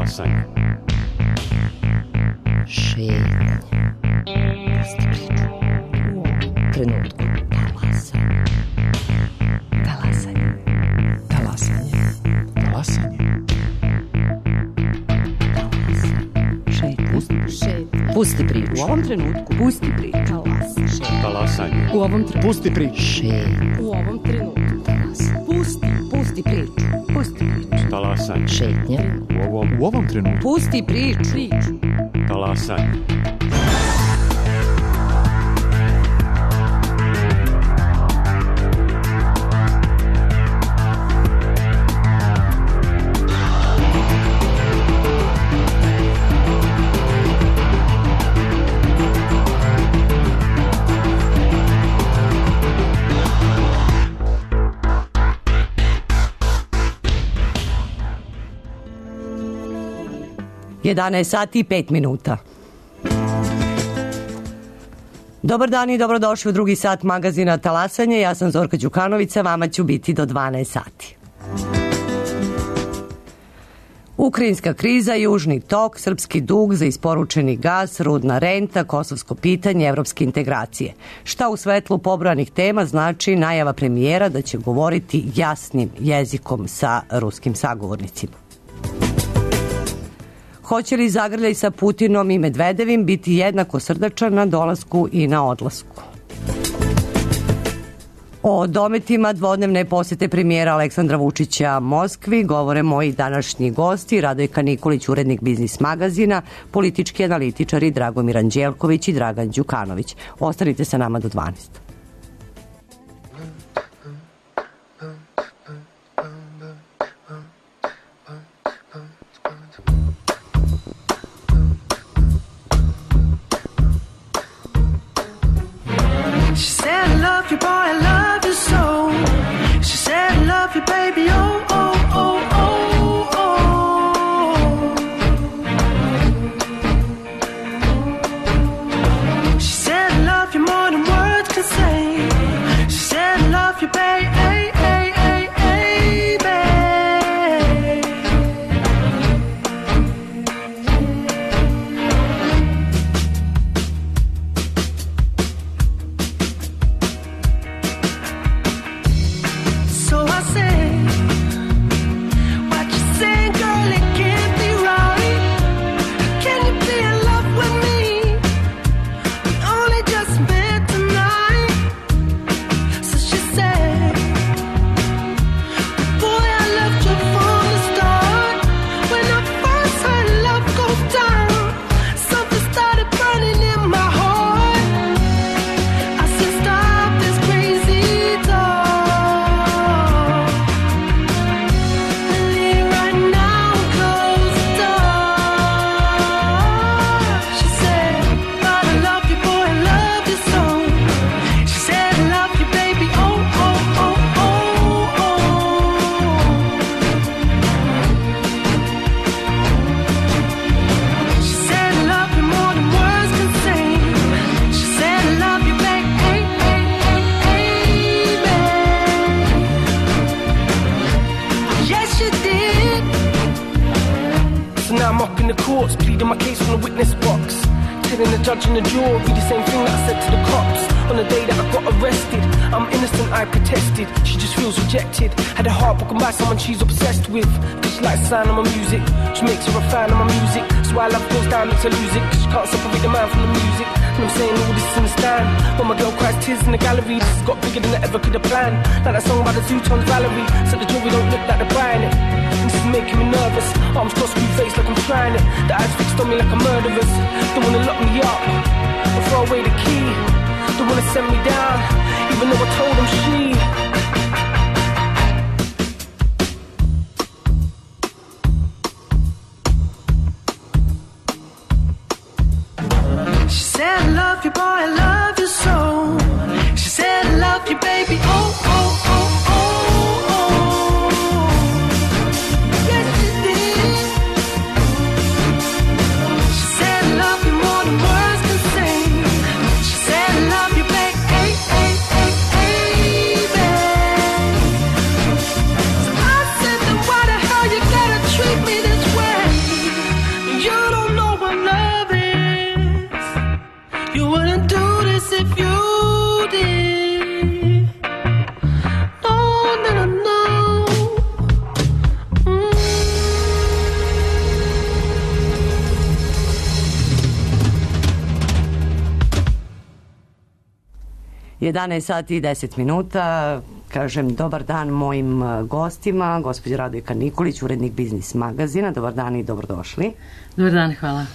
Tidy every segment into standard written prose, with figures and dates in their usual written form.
Talasanje. Šetnje. Pusti priču. U ovom trenutku. Talasanje. Talasanje. Talasanje. Pusti priču. U ovom trenutku. Pusti priču. Talasanje. U ovom trenutku. Pusti priču. U ovom trenutku. Pusti priču. Pusti priču. Talasanje. Šetnje. U ovom trenutku. Pusti priču. Talasanje. Jedanaest sati i 5 minuta. Dobar dan i dobrodošli u drugi sat magazina Talasanje. Ja sam Zorka Đukanović, vama ću biti do 12 sati. Ukrajinska kriza, južni tok, srpski dug za isporučeni gas, rudna renta, kosovsko pitanje, evropske integracije. Šta u svetlu pobrojanih tema znači najava premijera da će govoriti jasnim jezikom sa ruskim sagovornicima? Hoće li zagrljaj sa Putinom i Medvedevim biti jednako srdačan na dolasku i na odlasku? O dometima dvodnevne posete premijera Aleksandra Vučića Moskvi govore moji današnji gosti, Radojka Nikolić, urednik Biznis magazina, politički analitičari Dragomir Anđelković i Dragan Đukanović. Ostanite sa nama do 12. She's obsessed with, cause she likes the sound of my music. She makes her a fan of my music. So why love goes down, makes her lose it. Cause she can't separate the man from the music. And I'm saying all this in the stand. When my girl cries tears in the gallery, this has got bigger than I ever could have planned. Like that song by the Zootons, Valerie. So the jewelry don't look like they're buying it. And this is making me nervous. Arms crossed, screw face like I'm trying it. The eyes fixed on me like a murderer's. Don't wanna lock me up or throw away the key. Don't wanna send me down, even though I told them she. I love you, boy, I love you so. She said, I love you, baby, oh, oh, oh, oh, oh. Yes, she did. She said, I love you more than words can say. She said, I love you, baby, hey, hey, hey, hey, 11 sati i 10 minuta. Kažem dobar dan mojim gostima, gospođa Radojka Nikolić, urednik Biznis magazina. Dobar dan i dobrodošli. Dobar dan, hvala.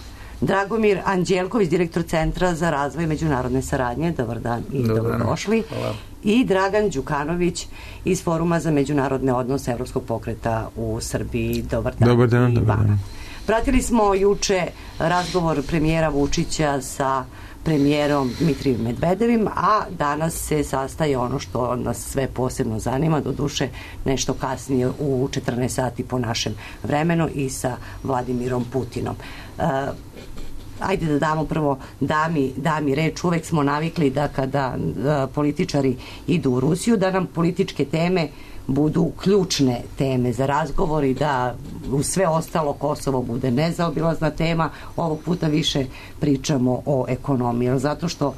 Dragomir Anđelković, direktor Centra za razvoj međunarodne saradnje. Dobar dan i dobrodošli. Hvala. I Dragan Đukanović iz Foruma za međunarodne odnose Evropskog pokreta u Srbiji. Dobar dan. Dobar dan, dobar dan. Pratili smo juče razgovor premijera Vučića sa premijerom Dmitrijom Medvedevim, a danas se sastaje ono što nas sve posebno zanima, doduše nešto kasnije u 14 sati po našem vremenu, i sa Vladimirom Putinom. Ajde da damo prvo dami reč. Uvek smo navikli da kada političari idu u Rusiju, da nam političke teme budu ključne teme za razgovor i da u sve ostalo Kosovo bude nezaobilazna tema. Ovog puta više pričamo o ekonomiji, zato što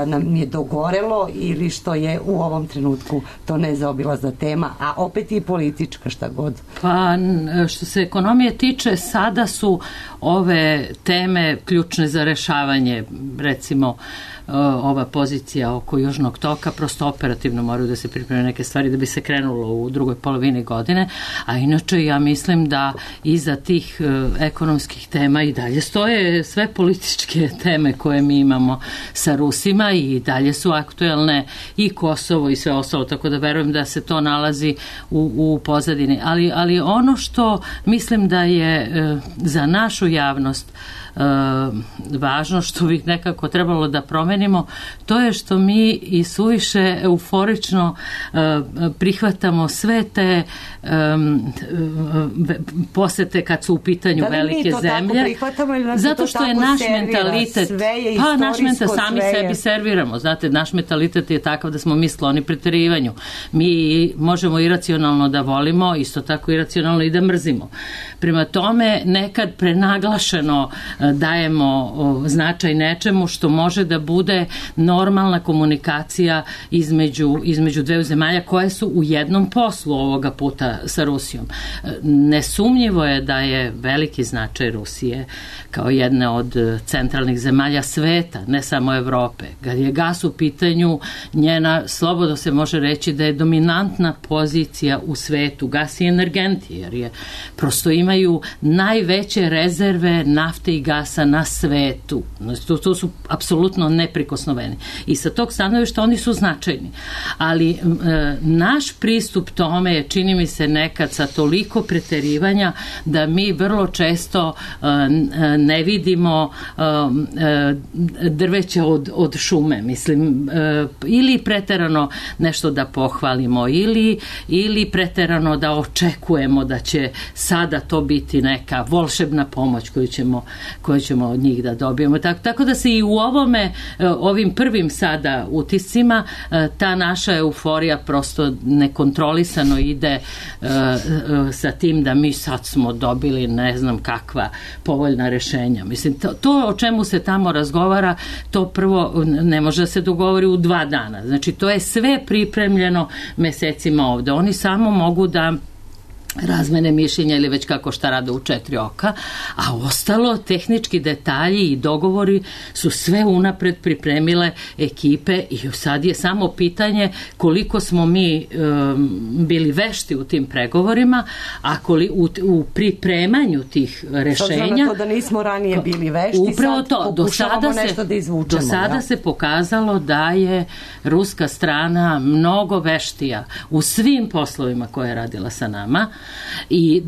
nam je dogorelo ili što je u ovom trenutku to nezaobilazna tema, a opet i politička, šta god. Pa što se ekonomije tiče, sada su ove teme ključne za rešavanje, recimo ova pozicija oko Južnog toka, prosto operativno moraju da se pripreme neke stvari da bi se krenulo u drugoj polovini godine, a inače ja mislim da iza tih ekonomskih tema i dalje stoje sve političke teme koje mi imamo sa Rusima i dalje su aktuelne i Kosovo i sve ostalo, tako da verujem da se to nalazi u pozadini. Ali ono što mislim da je za našu javnost važno, što bi nekako trebalo da promenimo, to je što mi i suviše euforično prihvatamo sve te posete kad su u pitanju velike zemlje, zato što je naš mentalitet, sami sebi serviramo, znate, naš mentalitet je takav da smo mi skloni preterivanju. Mi možemo iracionalno da volimo, isto tako iracionalno i da mrzimo. Prema tome, nekad prenaglašeno dajemo značaj nečemu što može da bude normalna komunikacija između dveju zemalja koje su u jednom poslu ovoga puta sa Rusijom. Nesumnjivo je da je veliki značaj Rusije kao jedne od centralnih zemalja sveta, ne samo Evrope. Kad je gas u pitanju, njena, slobodno se može reći da je dominantna pozicija u svetu, gas i energenti, jer je prosto imaju najveće rezerve nafte i gasa na svetu. To su apsolutno neprikosnoveni. I sa tog stanovišta oni su značajni. Ali naš pristup tome je, čini mi se, nekad sa toliko preterivanja da mi vrlo često ne vidimo drveće od šume. Mislim, ili preterano nešto da pohvalimo, ili preterano da očekujemo da će sada to biti neka volšebna pomoć koju ćemo od njih da dobijemo. Tako da se i u ovim prvim sada utiscima ta naša euforija prosto nekontrolisano ide sa tim da mi sad smo dobili ne znam kakva povoljna rešenja. Mislim, to o čemu se tamo razgovara, to prvo ne može da se dogovori u 2 dana. Znači, to je sve pripremljeno mesecima ovde. Oni samo mogu da razmene mišljenja ili već kako šta rade u 4 oka, a ostalo tehnički detalji i dogovori su sve unapred pripremile ekipe i sad je samo pitanje koliko smo mi bili vešti u tim pregovorima, a u pripremanju tih rešenja. S obzirom na to da nismo ranije bili vešti, upravo sad pokušavamo nešto da izvučemo. Do sada se pokazalo da je ruska strana mnogo veštija u svim poslovima koje je radila sa nama, i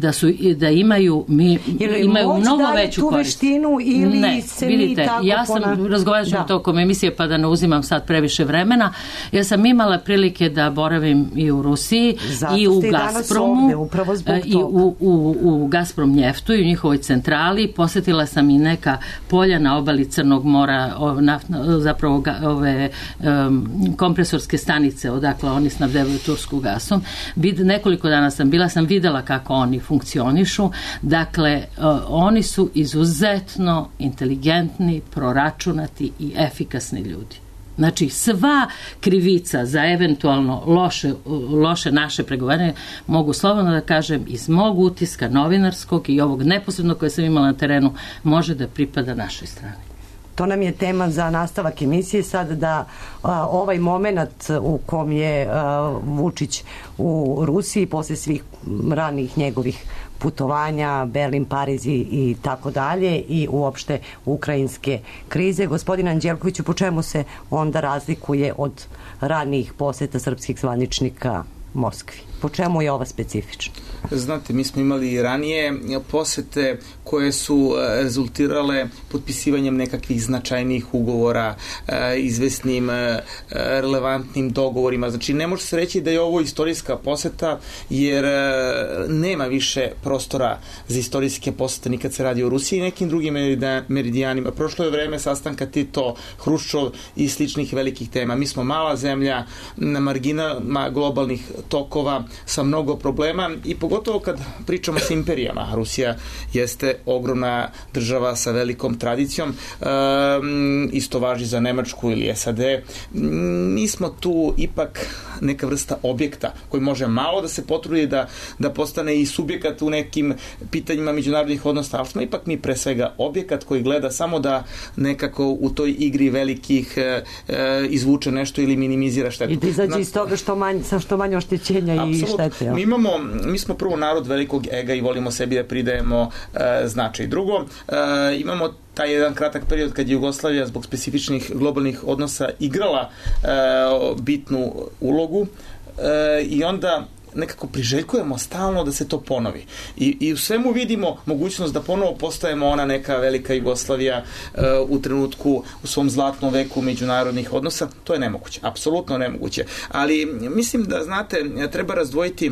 da imaju mnogo veću korist. Veštinu ili ne, se vidite, mi tako ja sam razgovarala tokom emisije, pa da ne uzimam sad previše vremena. Ja sam imala prilike da boravim i u Rusiji i u Gazpromu i u Gazprom njeftu i u njihovoj centrali. Posetila sam i neka polja na obali Crnog mora, zapravo ove kompresorske stanice odakle oni snabdevaju tursku gasom. Nekoliko dana sam videla kako oni funkcionišu. Dakle, oni su izuzetno inteligentni, proračunati i efikasni ljudi. Znači, sva krivica za eventualno loše naše pregovaranje, mogu slobodno da kažem, iz mog utiska novinarskog i ovog neposrednog koje sam imala na terenu, može da pripada našoj strani. To nam je tema za nastavak emisije sad, da ovaj moment u kom je Vučić u Rusiji posle svih ranih njegovih putovanja, Berlin, Pariz i tako dalje, i uopšte ukrajinske krize. Gospodin Anđelkoviću, po čemu se onda razlikuje od ranijih poseta srpskih zvaničnika Moskvi? Po čemu je ova specifična? Znate, mi smo imali ranije posete koje su rezultirale potpisivanjem nekakvih značajnijih ugovora, izvesnim relevantnim dogovorima. Znači, ne može se reći da je ovo istorijska poseta, jer nema više prostora za istorijske posete nikad se radi o Rusiji i nekim drugim meridijanima. Prošlo je vreme sastanka Tito, Hruščov i sličnih velikih tema. Mi smo mala zemlja na marginama globalnih tokova sa mnogo problema i pogotovo kad pričamo s imperijama. Rusija jeste ogromna država sa velikom tradicijom, isto važi za Nemačku ili SAD. Mi smo tu ipak neka vrsta objekta koji može malo da se potrudi da postane i subjekat u nekim pitanjima međunarodnih odnosa, ali smo ipak mi pre svega objekat koji gleda samo da nekako u toj igri velikih izvuče nešto ili minimizira štetu. I da izađe iz toga sa što manje oštećenja i štete. Mi smo prvo narod velikog ega i volimo sebi da pridajemo značaj. Drugo, imamo taj jedan kratak period kad je Jugoslavija zbog specifičnih globalnih odnosa igrala bitnu ulogu i onda nekako priželjkujemo stalno da se to ponovi. I u svemu vidimo mogućnost da ponovo postajemo ona neka velika Jugoslavija u trenutku, u svom zlatnom veku međunarodnih odnosa. To je nemoguće, apsolutno nemoguće. Ali mislim da, znate, treba razdvojiti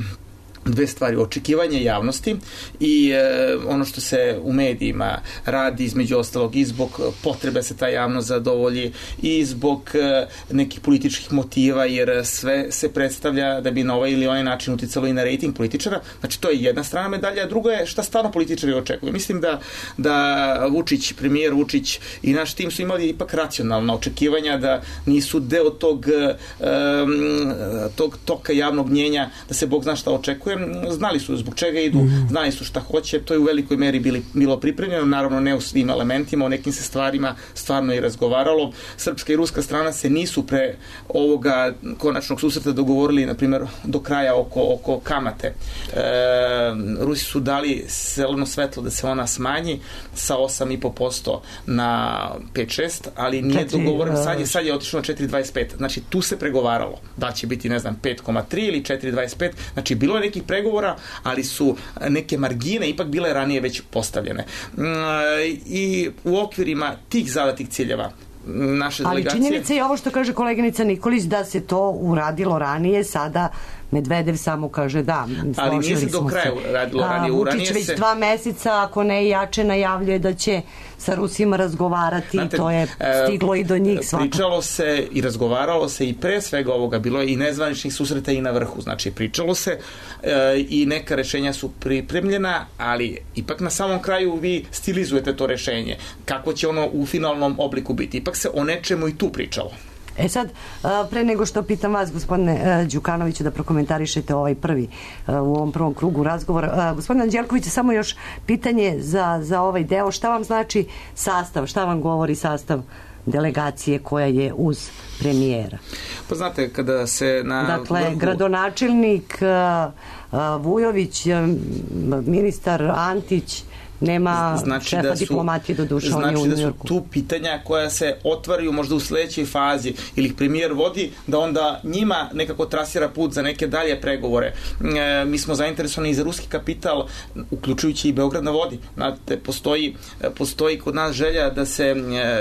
dve stvari, očekivanje javnosti i ono što se u medijima radi, između ostalog i zbog potrebe se ta javnost zadovolji i zbog nekih političkih motiva, jer sve se predstavlja da bi na ovaj ili onaj način uticalo i na rejting političara. Znači, to je jedna strana medalja, a druga je šta stvarno političari očekuju. Mislim da Vučić, premijer Vučić i naš tim su imali ipak racionalna očekivanja, da nisu deo tog toka javnog mnjenja, da se Bog zna šta očekuje. Znali su zbog čega idu, znali su šta hoće, to je u velikoj meri bilo pripremljeno, naravno ne u svim elementima, o nekim se stvarima stvarno i razgovaralo. Srpska i ruska strana se nisu pre ovoga konačnog susreta dogovorili, na primjer, do kraja oko kamate. Rusi su dali zeleno svetlo da se ona smanji sa 8,5% na 5-6, ali nije dogovoreno, sad je otišlo na 4,25. Znači, tu se pregovaralo. Da će biti, ne znam, 5,3 ili 4,25. Znači, bilo je nekih pregovora, ali su neke margine ipak bile ranije već postavljene. I u okvirima tih zadatih ciljeva naše delegacije... Ali činjenica je ovo što kaže koleginica Nikolić, da se to uradilo ranije, sada Medvedev samo kaže da. Ali nije se do kraja radilo ranije. Vučić već 2 meseca, ako ne jače, najavljuje da će sa Rusima razgovarati. Znate, to je stiglo i do njih svakako. Pričalo se i razgovaralo se i pre svega ovoga, bilo je i nezvaničnih susreta i na vrhu. Znači, pričalo se i neka rešenja su pripremljena, ali ipak na samom kraju vi stilizujete to rešenje. Kako će ono u finalnom obliku biti? Ipak se o nečemu i tu pričalo. E sad, pre nego što pitam vas, gospodine Đukanoviću, da prokomentarišete u ovom prvom krugu razgovora. Gospodine Anđelković, samo još pitanje za ovaj deo. Šta vam znači sastav? Šta vam govori sastav delegacije koja je uz premijera? Pa znate, kada se na... Dakle, gradonačelnik Vujović, ministar Antić, nema šefa diplomatije do duše, on je u Njujorku. Znači da su tu pitanja koja se otvaraju možda u sledećoj fazi ili ih premijer vodi, da onda njima nekako trasira put za neke dalje pregovore. Mi smo zainteresovani i za ruski kapital, uključujući i Beograd na vodi. Znate, postoji kod nas želja da se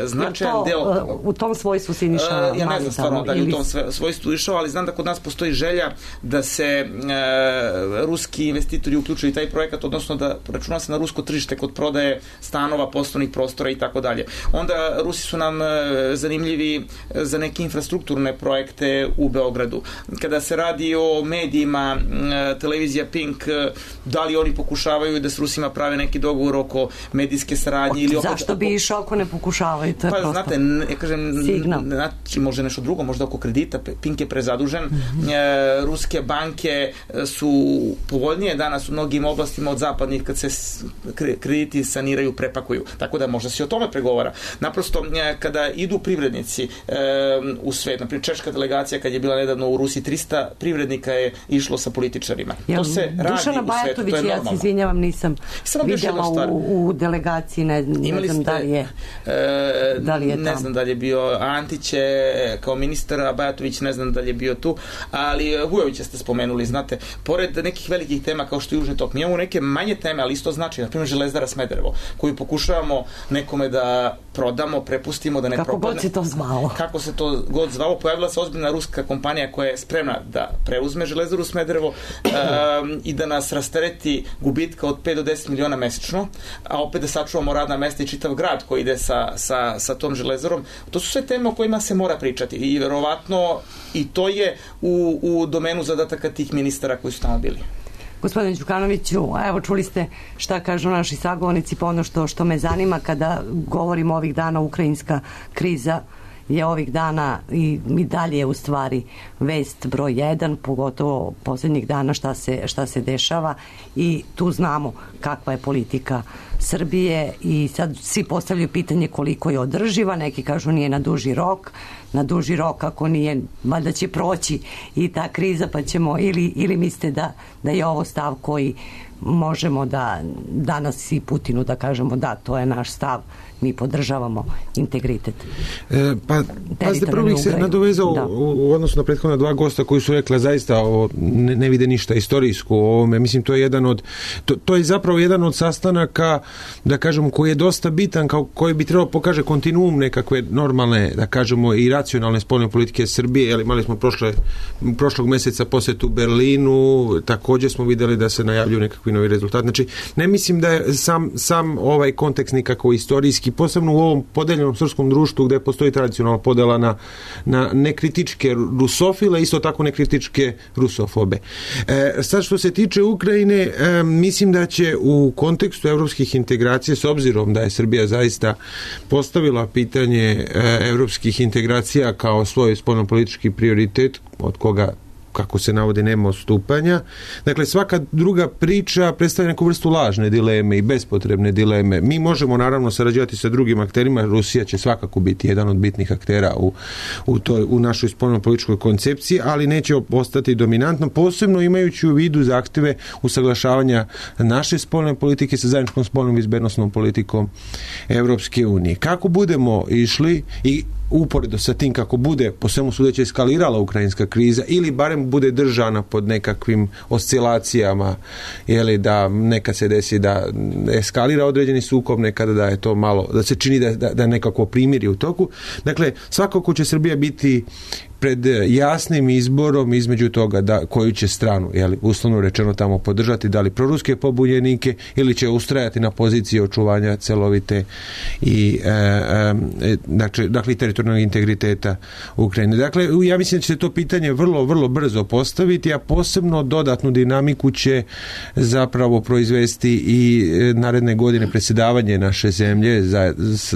značajan deo... U tom svojstvu si išao? Ja ne znam stvarno da je u tom svojstvu išao, ali znam da kod nas postoji želja da se ruski investitori uključuju i taj projekat, odnosno da računa se na rusko tržište kod prodaje stanova, poslovnih prostora i tako dalje. Onda Rusi su nam zanimljivi za neke infrastrukturne projekte u Beogradu. Kada se radi o medijima, televizija Pink, da li oni pokušavaju da s Rusima prave neki dogovor oko medijske saradnje ili oko... Zašto bi išao ako ne pokušavaju? To je pa znate, ja kažem, znači možda nešto drugo, možda oko kredita, Pink je prezadužen, ruske banke su povoljnije danas u mnogim oblastima od zapadnih kad se krediti saniraju, prepakuju. Tako da možda se o tome pregovara. Naprosto, kada idu privrednici u svet, naprimjer Češka delegacija kad je bila nedavno u Rusiji, 300 privrednika je išlo sa političarima. To se radi u svetu, to je normalno. Ja se izvinjavam, nisam vidjela u delegaciji, ne znam da li je tamo. Ne znam da li je bio Antić kao ministar, a Bajatović ne znam da li je bio tu, ali Vujovića ste spomenuli, znate, pored nekih velikih tema kao što je Južni tok, mi imamo neke manje teme, ali isto znači, na primjer Železara Smederevo, koju pokušavamo nekome da prodamo, prepustimo da ne propadne. Kako god se to zvalo. Kako se to god zvalo, pojavila se ozbiljna ruska kompanija koja je spremna da preuzme Železaru Smederevo i da nas rastereti gubitka od 5 do 10 miliona mesečno, a opet da sačuvamo radna mesta i čitav grad koji ide sa tom železarom. To su sve teme o kojima se mora pričati i verovatno i to je u domenu zadataka tih ministara koji su tamo bili. Gospodine Đukanoviću, evo čuli ste šta kažu naši sagovornici, pa ono što me zanima kada govorimo ovih dana, ukrajinska kriza je ovih dana i dalje je u stvari vest broj 1, pogotovo posljednjih dana šta se dešava i tu znamo kakva je politika Srbije i sad svi postavljaju pitanje koliko je održiva, neki kažu nije na duži rok, ako nije, valjda će proći i ta kriza pa ćemo, ili mislite da je ovo stav koji možemo da danas i Putinu da kažemo da, to je naš stav, mi podržavamo integritet. Pazite, prvo bih se nadovezao u odnosu na prethodna dva gosta koji su rekla zaista ne vide ništa istorijsko u ovome. Mislim, to je zapravo jedan od sastanaka, da kažemo, koji je dosta bitan, koji bi trebalo pokaže kontinuum nekakve normalne, da kažemo, i racionalne spoljne politike Srbije. Jel, imali smo prošlog mjeseca posjetu Berlinu, također smo vidjeli da se najavljuju nekakvi novi rezultati. Znači, ne mislim da je sam ovaj kontekst nikako istorijski, posebno u ovom podeljenom srpskom društvu gdje postoji tradicionalna podela na nekritičke rusofile, isto tako nekritičke rusofobe. Sad što se tiče Ukrajine, mislim da će u kontekstu evropskih integracija, s obzirom da je Srbija zaista postavila pitanje evropskih integracija kao svoj spoljnopolitički prioritet, od koga, kako se navodi, nema odstupanja. Dakle, svaka druga priča predstavlja neku vrstu lažne dileme i bespotrebne dileme. Mi možemo naravno sarađivati sa drugim akterima, Rusija će svakako biti jedan od bitnih aktera u našoj spoljnopolitičkoj koncepciji, ali neće ostati dominantno, posebno imajući u vidu zahtjeve usaglašavanja naše spoljne politike sa zajedničkom spoljnom bezbednosnom politikom Evropske unije. Kako budemo išli i uporedo sa tim kako bude po svemu sudeći eskalirala ukrajinska kriza ili barem bude držana pod nekakvim oscilacijama, jeli, da nekad se desi da eskalira određeni sukob, nekada da je to malo, da se čini da nekako primiri u toku. Dakle, svakako će Srbija biti pred jasnim izborom između toga da koju će stranu, jeli, uslovno rečeno tamo podržati, da li proruske pobunjenike ili će ustrajati na poziciji očuvanja celovite i dakle teritorijalnog integriteta Ukrajine. Dakle, ja mislim da će se to pitanje vrlo, vrlo brzo postaviti, a posebno dodatnu dinamiku će zapravo proizvesti i naredne godine predsjedavanje naše zemlje s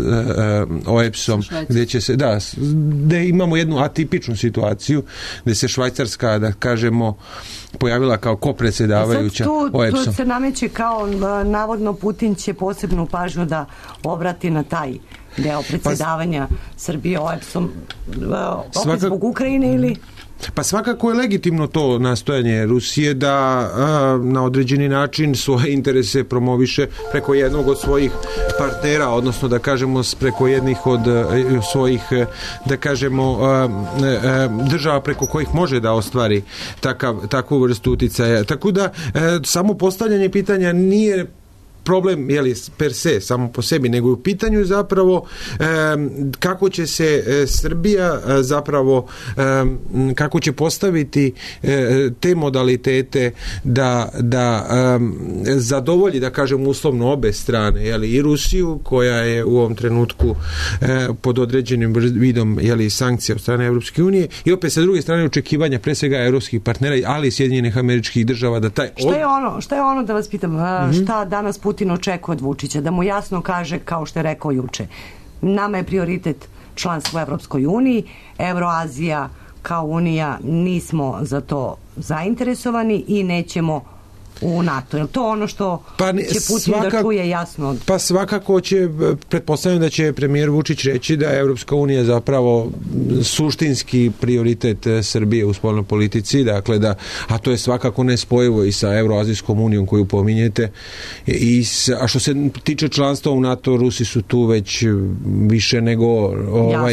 OEBS-om, gdje imamo jednu atipičnu situaciju gdje se Švajcarska, da kažemo, pojavila kao kopredsjedavajuća OEBS-om. Tu se nameće kao navodno Putin će posebnu pažnju da obrati na taj deo predsjedavanja Srbije OEBS-om opet zbog Ukrajine ili... Pa svakako je legitimno to nastojanje Rusije da na određeni način svoje interese promoviše preko jednog od svojih partnera, odnosno da kažemo preko jednih od svojih, da kažemo, država preko kojih može da ostvari takvu vrstu uticaja. Tako da samo postavljanje pitanja nije problem, jeli, per se, samo po sebi, nego u pitanju zapravo kako će se Srbija zapravo kako će postaviti te modalitete da zadovolji, da kažem, uslovno obe strane, jeli, i Rusiju, koja je u ovom trenutku pod određenim vidom, jeli, sankcija od strane Evropske unije, i opet sa druge strane očekivanja pre svega evropskih partnera, ali i Sjedinjenih Američkih Država da taj... Šta je ono da vas pitam, šta danas Putin očekuje od Vučića, da mu jasno kaže, kao što je rekao juče, nama je prioritet članstvo u Evropskoj uniji, Evroazija kao unija nismo za to zainteresovani i nećemo u NATO. Je li to ono što će Putin da čuje jasno? Pa svakako će, pretpostavljam da će premijer Vučić reći da je Evropska unija zapravo suštinski prioritet Srbije u spoljnoj politici, dakle a to je svakako nespojivo i sa Evroazijskom unijom koju pominjete. A što se tiče članstva u NATO, Rusi su tu već više nego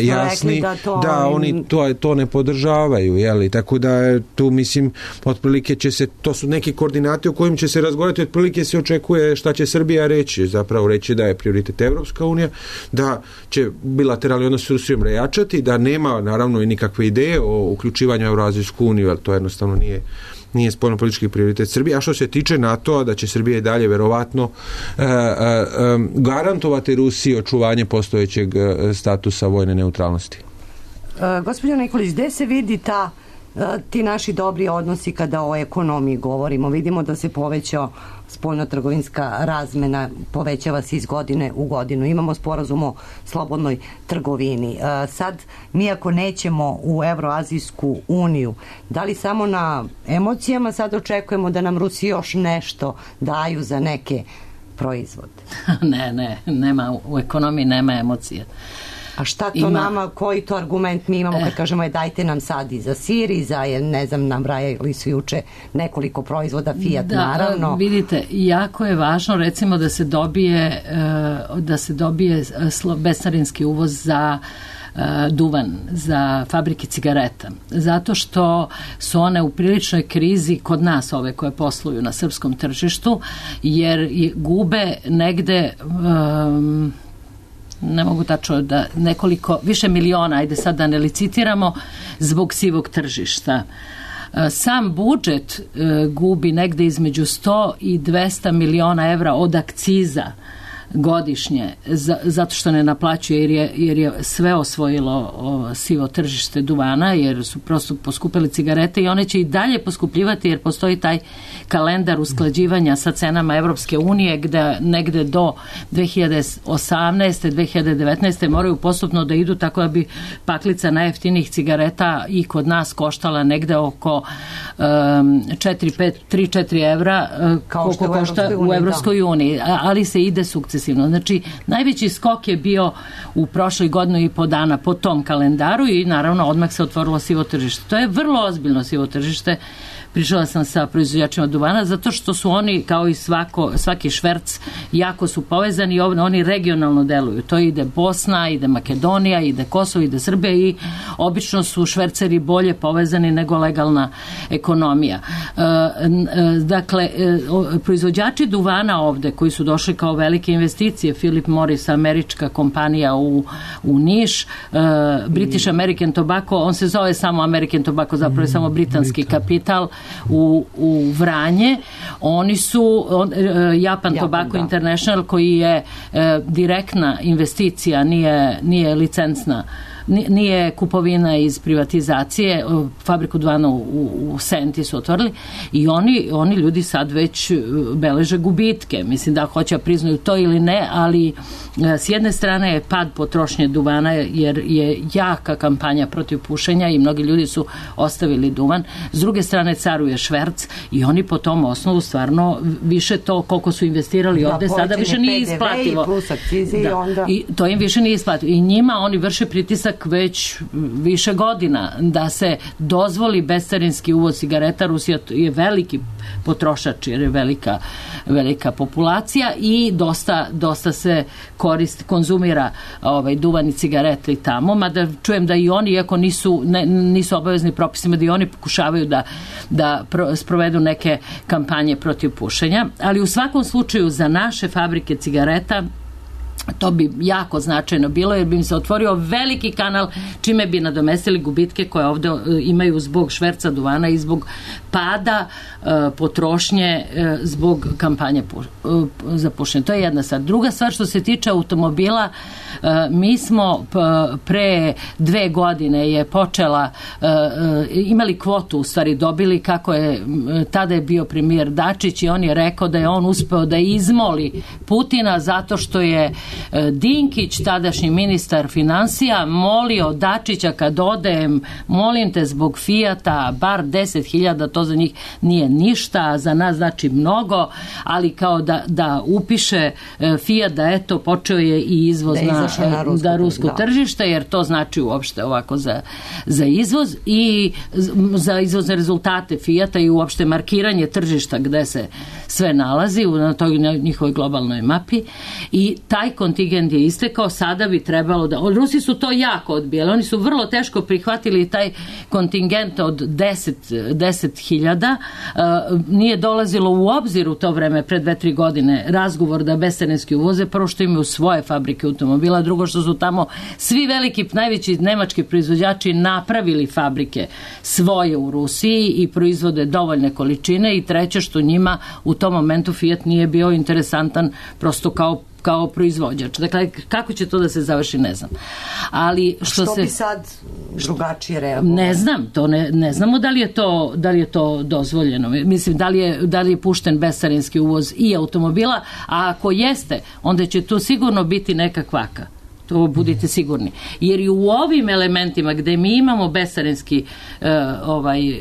jasni da oni to ne podržavaju, jeli? Tako da tu mislim otprilike će se, to su neki koordinati o kojim će se razgovarati, otprilike se očekuje šta će Srbija reći, zapravo reći da je prioritet Evropska unija, da će bilateralni odnos s Rusijom rejačati, da nema naravno i nikakve ideje o uključivanju u Evroazijsku uniju, ali to jednostavno nije spoljnopolitički prioritet Srbije. A što se tiče NATO-a, da će Srbija i dalje verovatno garantovati Rusiji očuvanje postojećeg statusa vojne neutralnosti. Gospođo Nikolić, gde se vidi ti naši dobri odnosi kada o ekonomiji govorimo? Vidimo da se povećao spoljno-trgovinska razmena, povećava se iz godine u godinu. Imamo sporazum o slobodnoj trgovini. Sad, mi ako nećemo u Evroazijsku uniju, da li samo na emocijama sad očekujemo da nam Rusi još nešto daju za neke proizvode? Nema, u ekonomiji nema emocije. A šta to nama, koji to argument mi imamo kad kažemo dajte nam sad i za sir i za, ne znam, nabrajali su juče nekoliko proizvoda, Fiat naravno. Vidite, jako je važno recimo da se dobije bescarinski uvoz za duvan, za fabrike cigareta. Zato što su one u priličnoj krizi kod nas, ove koje posluju na srpskom tržištu, jer gube negde ne mogu tačno da više miliona, ajde sad da ne licitiramo, zbog sivog tržišta. Sam budžet gubi negde između 100 i 200 miliona evra od akciza godišnje, zato što ne naplaćuje jer je sve osvojilo sivo tržište duvana, jer su prosto poskupili cigarete i one će i dalje poskupljivati jer postoji taj kalendar usklađivanja sa cenama Evropske unije gde negde do 2018. 2019. moraju postupno da idu, tako da bi paklica najjeftinijih cigareta i kod nas koštala negde oko 3-4 evra koliko košta u Evropskoj uniji, ali se ide sukcesivno. Znači, najveći skok je bio u prošloj godinu i po dana po tom kalendaru i naravno odmah se otvorilo sivo tržište. To je vrlo ozbiljno sivo tržište. Pričala sam sa proizvođačima duvana zato što su oni, kao i svaki šverc, jako su povezani i oni regionalno deluju. To ide Bosna, ide Makedonija, ide Kosovo, ide Srbija i obično su šverceri bolje povezani nego legalna ekonomija. Dakle, proizvođači duvana ovde koji su došli kao velike investicije, Philip Morris, američka kompanija u Niš, British American Tobacco, on se zove samo American Tobacco, zapravo je samo britanski kapital, u Vranje. Oni su Japan Tobacco International, koji je direktna investicija, nije licencna, nije kupovina iz privatizacije, fabriku duvana u Senti su otvorili i oni ljudi sad već beleže gubitke. Mislim da hoće priznaju to ili ne, ali s jedne strane je pad potrošnje duvana jer je jaka kampanja protiv pušenja i mnogi ljudi su ostavili duvan. S druge strane caruje šverc i oni po tom osnovu stvarno više to koliko su investirali ovde sada više nije isplativo. I to im više nije isplativo. I njima oni vrše pritisak već više godina da se dozvoli bescarinski uvoz cigareta. Rusija je veliki potrošač jer je velika populacija i dosta se konzumira duvan i cigarete i tamo, mada čujem da i oni, iako nisu obavezni propisima, da i oni pokušavaju da sprovedu neke kampanje protiv pušenja, ali u svakom slučaju za naše fabrike cigareta to bi jako značajno bilo jer bi im se otvorio veliki kanal čime bi nadomestili gubitke koje ovde imaju zbog šverca duvana i zbog pada potrošnje zbog kampanje za pušenje. To je jedna stvar. Druga stvar, što se tiče automobila, mi smo pre 2 godine je počela, imali kvotu, u stvari dobili, kako je, tada je bio premijer Dačić i on je rekao da je on uspeo da izmoli Putina zato što je Dinkić, tadašnji ministar financija, molio Dačića kad odem, molim te zbog Fijata, bar 10.000, to za njih nije ništa, za nas znači mnogo, ali kao da upiše Fijat da eto počeo je i izvoz na rusko tržište, jer to znači uopšte ovako za izvoz i za izvozne rezultate Fijata i uopšte markiranje tržišta gde se sve nalazi na toj njihovoj globalnoj mapi i taj kontingent je istekao, sada bi trebalo da... Rusi su to jako odbijali, oni su vrlo teško prihvatili taj kontingent od 10.000, nije dolazilo u obzir u to vreme, pred 2-3 godine, razgovor da bescarinski uvoze, prvo što imaju svoje fabrike automobila, drugo što su tamo svi veliki, najveći nemački proizvođači napravili fabrike svoje u Rusiji i proizvode dovoljne količine i treće što njima u tom momentu Fiat nije bio interesantan prosto kao proizvođač. Dakle, kako će to da se završi, ne znam. Ali što bi sad drugačije reagovalo? Ne znam, ne znamo da li je to dozvoljeno. Mislim, da li je pušten bescarinski uvoz i automobila, a ako jeste, onda će tu sigurno biti neka kvaka. To budite sigurni. Jer i u ovim elementima gde mi imamo bescarinski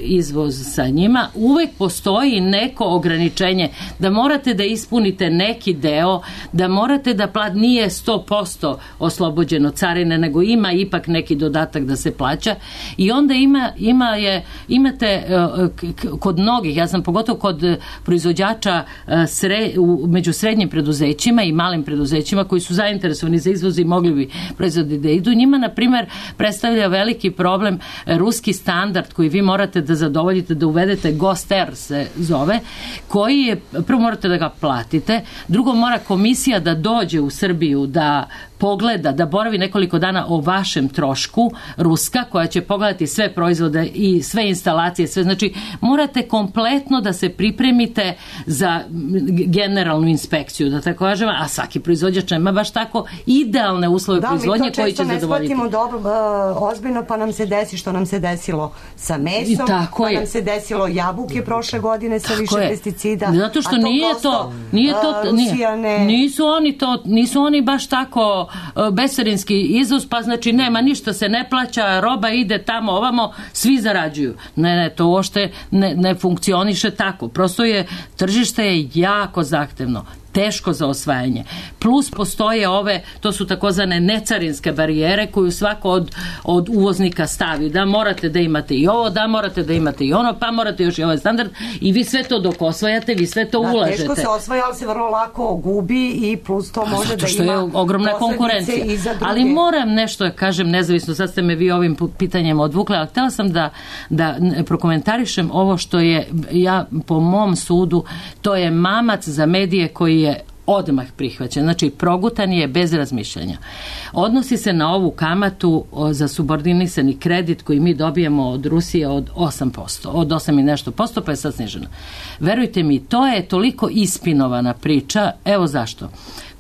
izvoz sa njima, uvek postoji neko ograničenje da morate da ispunite neki deo, da morate da nije 100% oslobođeno carine, nego ima ipak neki dodatak da se plaća i onda imate kod mnogih, ja sam pogotovo kod proizvođača među srednjim preduzećima i malim preduzećima koji su zainteresovani za izvoz i mogli bi proizvodi da idu. Njima, na primjer, predstavlja veliki problem ruski standard koji vi morate da zadovoljite, da uvedete GOST-R se zove, koji je, prvo morate da ga platite, drugo mora komisija da dođe u Srbiju da pogleda, da boravi nekoliko dana o vašem trošku, ruska, koja će pogledati sve proizvode i sve instalacije, sve, znači morate kompletno da se pripremite za generalnu inspekciju, da tako kažem, a svaki proizvođač nema baš tako idealne uslove proizvodnje koji će zadovoljiti. Da, mi to često ne shvatimo dobro, ozbiljno, pa nam se desi što nam se desilo sa mesom, pa nam se desilo jabuke prošle godine sa više pesticida. Zato što nisu oni baš tako bescarinski izvoz, pa znači nema, ništa se ne plaća, roba ide tamo ovamo, svi zarađuju. Ne, to uopšte ne funkcioniše tako. Prosto tržište je jako zahtevno, teško za osvajanje. Plus postoje to su takozvane necarinske barijere koju svako od uvoznika stavi. Da morate da imate i ovo, da morate da imate i ono, pa morate još i ovaj standard i vi sve to dok osvajate, vi sve to ulažete. Teško se osvaja, ali se vrlo lako gubi i plus to može da ima što je ogromna konkurencija. Ali moram nešto da kažem nezavisno, sad ste me vi ovim pitanjem odvukli, ali htjela sam da prokomentarišem ovo što je, po mom sudu, to je mamac za medije koji je odmah prihvaćen. Znači, progutan je bez razmišljanja. Odnosi se na ovu kamatu za subordinisani kredit koji mi dobijemo od Rusije od 8%. Od 8 i nešto posto, pa je sad sniženo. Verujte mi, to je toliko ispinovana priča. Evo zašto.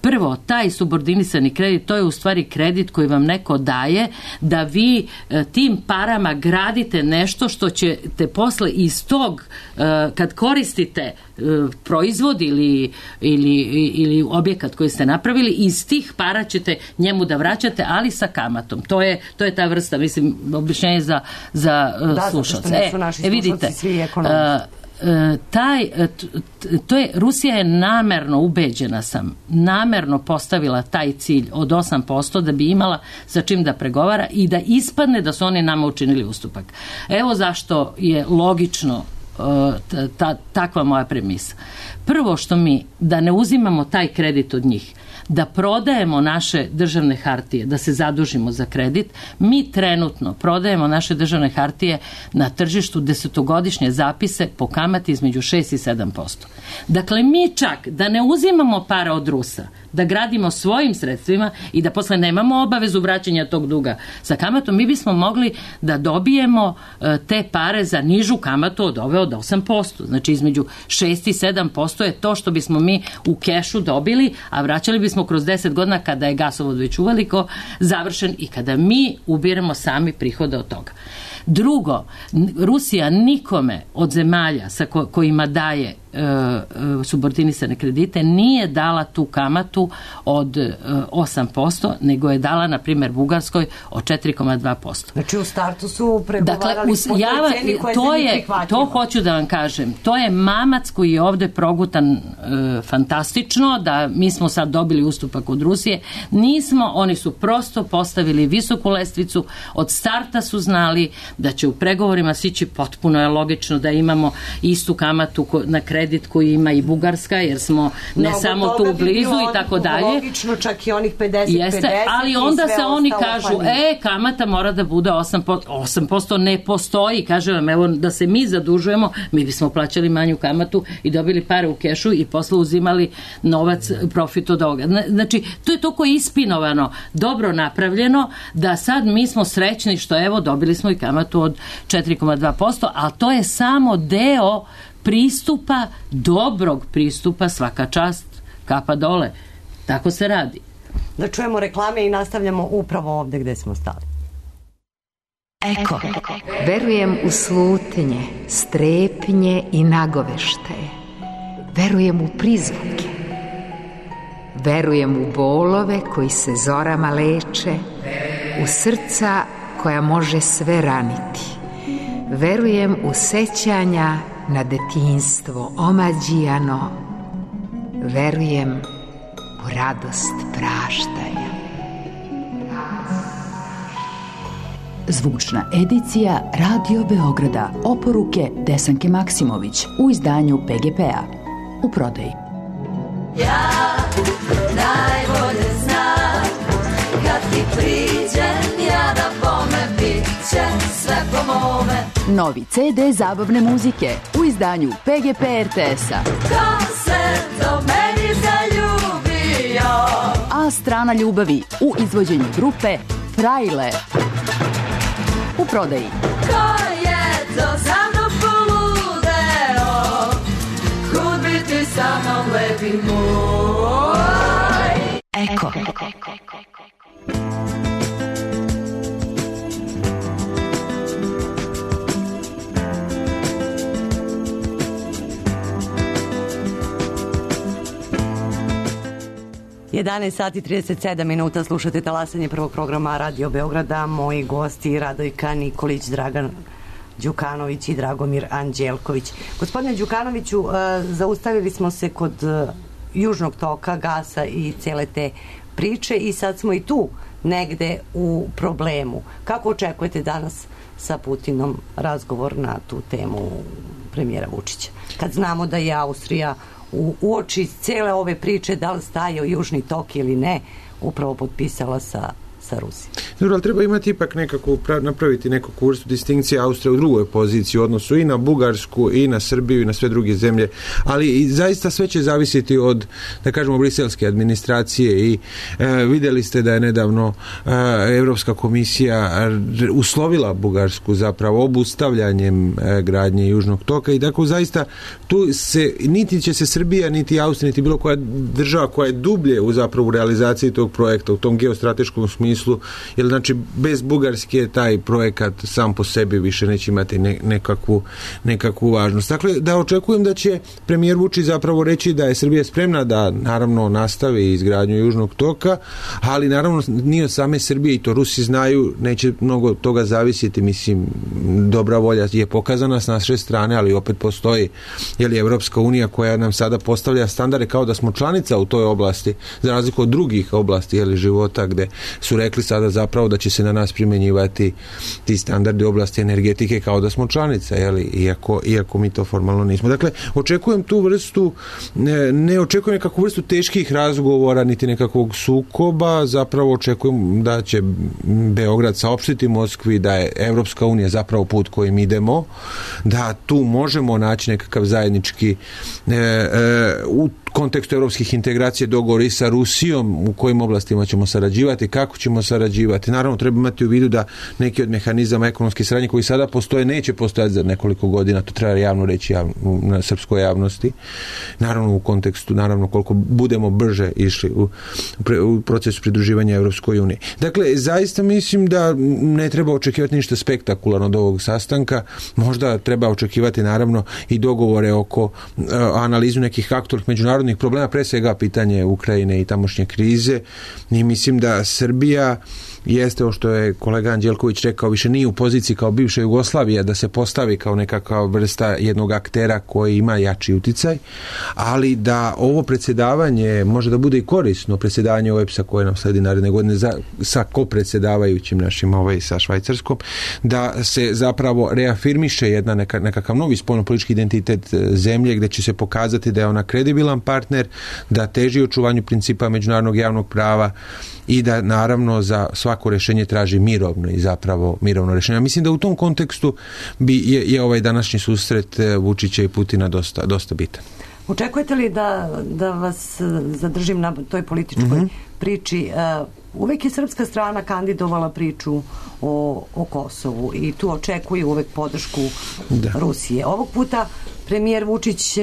Prvo, taj subordinisani kredit, to je u stvari kredit koji vam neko daje da vi tim parama gradite nešto što ćete posle iz tog, kad koristite proizvod ili objekat koji ste napravili, iz tih para ćete njemu da vraćate, ali sa kamatom. To je ta vrsta, mislim, objašnjenje za slušalce. Vidite, svi ekonomisti. Rusija je namerno, ubeđena sam, namerno postavila taj cilj od 8% da bi imala sa čim da pregovara i da ispadne da su oni nama učinili ustupak. Evo zašto je logično takva moja premisa. Prvo što da ne uzimamo taj kredit od njih, da prodajemo naše državne hartije, da se zadužimo za kredit, mi trenutno prodajemo naše državne hartije na tržištu desetogodišnje zapise po kamati između 6 i 7%. Dakle, mi čak da ne uzimamo para od Rusa, da gradimo svojim sredstvima i da posle nemamo obavezu vraćanja tog duga sa kamatom, mi bismo mogli da dobijemo te pare za nižu kamatu od ove od 8%. Znači, između 6 i 7% je to što bismo mi u kešu dobili, a vraćali bismo kroz 10 godina kada je gasovod već uveliko završen i kada mi ubiramo sami prihode od toga. Drugo, Rusija nikome od zemalja sa kojima daje subordinisane kredite nije dala tu kamatu od 8%, nego je dala, na primjer, Bugarskoj od 4,2%. Znači u startu su pregovarali po toj ceni koja se nije prihvatljiva. To hoću da vam kažem. To je mamac koji je ovde progutan fantastično, da mi smo sad dobili ustupak od Rusije. Nismo, oni su prosto postavili visoku lestvicu, od starta su znali da će u pregovorima sići, potpuno je logično da imamo istu kamatu na kredit koji ima i Bugarska, jer smo ne samo tu blizu i tako dalje. Logično, čak i onih 50-50. Jeste, ali onda se oni kažu, kamata mora da bude 8%. 8% ne postoji, kažem vam, evo da se mi zadužujemo, mi bismo plaćali manju kamatu i dobili pare u kešu i posle uzimali novac, profit od ovoga. Znači, to je toliko ispinovano, dobro napravljeno, da sad mi smo srećni što evo dobili smo i kamatu od 4,2%, ali to je samo deo pristupa, dobrog pristupa, svaka čast, kapa dole. Tako se radi. Da čujemo reklame i nastavljamo upravo ovde gde smo stali. Eko. Verujem u slutnje, strepnje i nagoveštaje. Verujem u prizvuke. Verujem u bolove koji se zorama leče, u srca koja može sve raniti. Verujem u sećanja na detinjstvo omađijano. Verujem u radost praštanja. Zvučna edicija Radio Beograda. Oporuke Desanke Maksimović u izdanju PGP-a. U prodaji. Ja najbolje znam kad ti priđem, ja da bome bit će sve po mome. Novi CD zabavne muzike u izdanju PGP RTS-a. Ko se do meni zaljubio? A strana ljubavi u izvođenju grupe Frajle. U prodaji. Ko je to za mnom poludeo? Kud bi ti sa mnom lepi moj? Eko. Sati 37 minuta, slušate talasanje prvog programa Radio Beograda. Moji gosti Radojka Nikolić, Dragan Đukanović i Dragomir Anđelković. Gospodine Đukanoviću, zaustavili smo se kod južnog toka, gasa i cele te priče i sad smo i tu negde u problemu. Kako očekujete danas sa Putinom razgovor na tu temu premijera Vučića? Kad znamo da je Austrija u oči cele ove priče, da li stajao južni tok ili ne, upravo potpisala sa Rusijom. Dobro, ali treba imati ipak napraviti nekakvu vrstu distinkcije. Austrija u drugoj poziciji u odnosu i na Bugarsku i na Srbiju i na sve druge zemlje, ali i zaista sve će zavisiti od, da kažemo, briselske administracije i vidjeli ste da je nedavno Evropska komisija uslovila Bugarsku zapravo obustavljanjem gradnje južnog toka i tako zaista tu se, niti će se Srbija, niti Austrija, niti bilo koja država koja je dublje u zapravo realizaciji tog projekta, u tom geostrateškom smislu, jer znači bez Bugarske taj projekat sam po sebi više neće imati nekakvu važnost. Dakle, da očekujem da će premijer Vučić zapravo reći da je Srbija spremna da naravno nastavi izgradnju južnog toka, ali naravno nije od same Srbije i to Rusi znaju, neće mnogo toga zavisiti, mislim, dobra volja je pokazana s naše strane, ali opet postoji Evropska unija koja nam sada postavlja standarde kao da smo članica u toj oblasti, za razliku od drugih oblasti života gde su rekli sada zapravo da će se na nas primjenjivati ti standardi u oblasti energetike kao da smo članica, iako mi to formalno nismo. Dakle, očekujem tu vrstu, ne očekujem nekakvu vrstu teških razgovora niti nekakvog sukoba, zapravo očekujem da će Beograd saopštiti Moskvi da je Evropska unija zapravo put kojim idemo, da tu možemo naći nekakav zajednički u kontekstu evropskih integracija dogovor i sa Rusijom, u kojim oblastima ćemo sarađivati, kako ćemo ćemo sarađivati. Naravno, treba imati u vidu da neki od mehanizama ekonomske saradnje koji sada postoje neće postojati za nekoliko godina, to treba javno reći na srpskoj javnosti. Naravno, u kontekstu, koliko budemo brže išli u procesu pridruživanja Evropskoj uniji. Dakle, zaista mislim da ne treba očekivati ništa spektakularno od ovog sastanka. Možda treba očekivati naravno i dogovore oko analizu nekih aktualnih međunarodnih problema, pre svega pitanje Ukrajine i tamošnje krize. I mislim da Srbija jeste, ovo što je kolega Anđelković rekao, više nije u poziciji kao bivša Jugoslavija da se postavi kao nekakva vrsta jednog aktera koji ima jači uticaj, ali da ovo predsjedavanje može da bude i korisno, predsjedavanje OEBS-a koje nam sledi naredne godine sa kopredsjedavajućim našim sa Švajcarskom, da se zapravo reafirmiše nekakav novi spoljnopolitički identitet zemlje gdje će se pokazati da je ona kredibilan partner, da teži očuvanju principa međunarodnog javnog prava i da naravno za svako rješenje traži mirovno i zapravo mirovno rješenje. Mislim da u tom kontekstu je ovaj današnji susret Vučića i Putina dosta bitan. Očekujete li da vas zadržim na toj političkoj priči? Uvek je srpska strana kandidovala priču o Kosovu i tu očekuju uvek podršku Rusije. Ovog puta premijer Vučić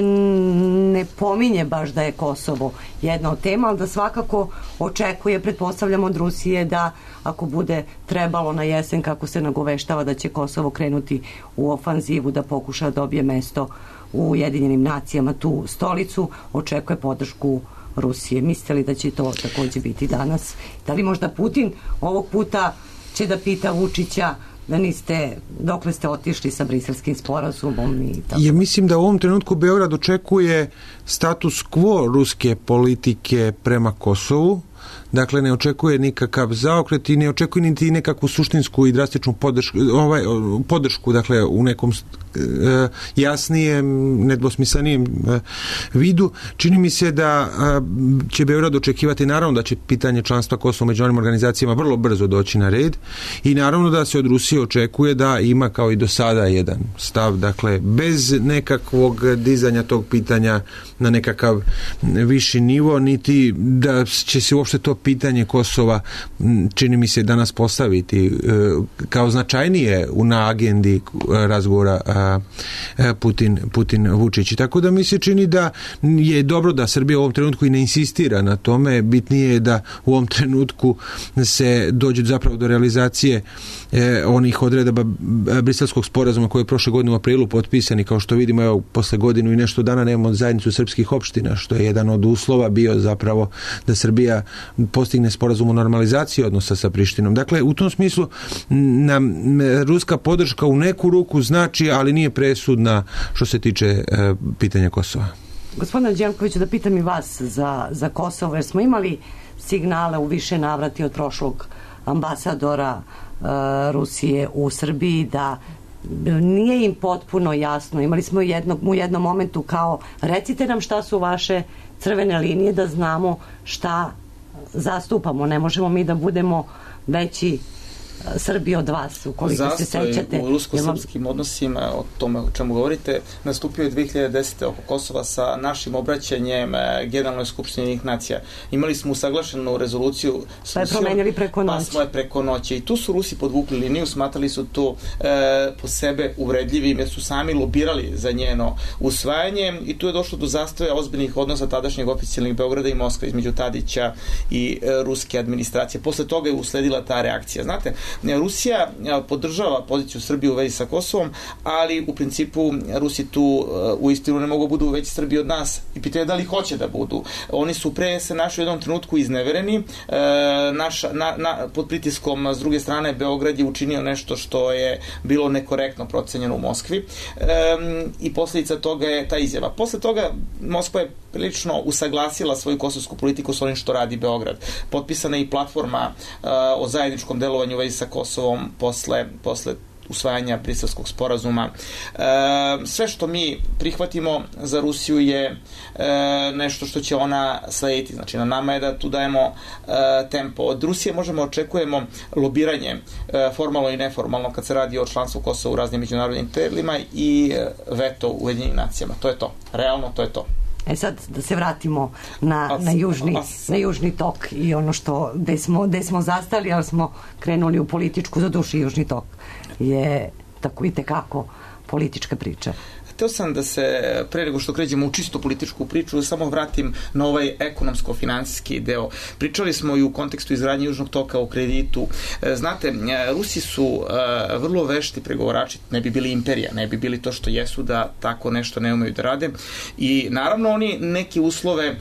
ne pominje baš da je Kosovo jedna od tema, ali da svakako očekuje, pretpostavljamo od Rusije, da ako bude trebalo na jesen, kako se nagoveštava da će Kosovo krenuti u ofanzivu, da pokuša da dobije mesto u Ujedinjenim nacijama, tu stolicu, očekuje podršku Rusije. Mislite li da će to također biti danas? Da li možda Putin ovog puta će da pita Vučića da niste, dokle ste otišli sa briselskim sporazumom i tako? Ja mislim da u ovom trenutku Beograd očekuje status quo ruske politike prema Kosovu. Dakle, ne očekuje nikakav zaokret i ne očekuje niti nekakvu suštinsku i drastičnu podršku, dakle, u nekom jasnijem, nedvosmislenijem vidu. Čini mi se da će Beograd očekivati, naravno da će pitanje članstva Kosova u međunarodnim organizacijama vrlo brzo doći na red i naravno da se od Rusije očekuje da ima kao i do sada jedan stav, dakle, bez nekakvog dizanja tog pitanja na nekakav viši nivo, niti da će se uopšte to pitanje Kosova, čini mi se, danas postaviti kao značajnije na agendi razgovora Putin-Vučić. Tako da mi se čini da je dobro da Srbija u ovom trenutku i ne insistira na tome. Bitnije je da u ovom trenutku se dođe zapravo do realizacije onih odredaba briselskog sporazuma koji je prošle godine u aprilu potpisani. Kao što vidimo, evo, posle godinu i nešto dana nemamo zajednicu srpskih opština, što je jedan od uslova bio zapravo da Srbija postigne sporazum o normalizaciji odnosa sa Prištinom. Dakle, u tom smislu nam ruska podrška u neku ruku znači, ali nije presudna što se tiče pitanja Kosova. Gospodine Anđelkoviću, da pitam i vas za Kosovo, jer smo imali signale u više navrati od prošlog ambasadora Rusije u Srbiji da nije im potpuno jasno. Imali smo u jednom momentu kao, recite nam šta su vaše crvene linije da znamo šta zastupamo. Ne možemo mi da budemo veći Srbiji od vas, ukoliko se sećate. Zastoj u rusko-srpskim odnosima, o tome o čemu govorite, nastupio je 2010. oko Kosova sa našim obraćanjem Generalnoj skupštini Ujedinjenih nacija. Imali smo usaglašenu rezoluciju pa je promenili preko noći. Pa smo je preko noći. I tu su Rusi podvukli liniju, smatrali su to po sebe uvredljivim, jer su sami lobirali za njeno usvajanje i tu je došlo do zastoja ozbiljnih odnosa tadašnjeg oficijalnih Beograda i Moskve između Tadića i ruske administracije. Posle toga je usledila ta reakcija. Znate, Rusija podržava poziciju Srbije u vezi sa Kosovom, ali u principu Rusi tu uistinu ne mogu budu veći Srbiji od nas i pitaju da li hoće da budu. Oni su pre se našli u jednom trenutku iznevereni. Pod pritiskom s druge strane Beograd je učinio nešto što je bilo nekorektno procenjeno u Moskvi i posljedica toga je ta izjava. Posle toga Moskva je prilično usaglasila svoju kosovsku politiku s onim što radi Beograd. Potpisana je i platforma o zajedničkom delovanju u vezi sa Kosovom posle usvajanja briselskog sporazuma. Sve što mi prihvatimo za Rusiju je nešto što će ona slediti. Znači, na nama je da tu dajemo tempo. Od Rusije očekujemo lobiranje, formalno i neformalno, kad se radi o članstvu Kosova u raznim međunarodnim telima i veto u Ujedinjenim nacijama. To je to. Realno, to je to. Sad da se vratimo na južni tok i ono što gde smo zastali, ali smo krenuli u političku, za duši južni tok je tako i tekako politička priča. Hteo sam da se, pre nego što kređemo u čisto političku priču, samo vratim na ovaj ekonomsko-finansijski deo. Pričali smo i u kontekstu izgradnje južnog toka o kreditu. Znate, Rusi su vrlo vešti pregovarači, ne bi bili imperija, ne bi bili to što jesu da tako nešto ne umeju da rade. I naravno oni neke uslove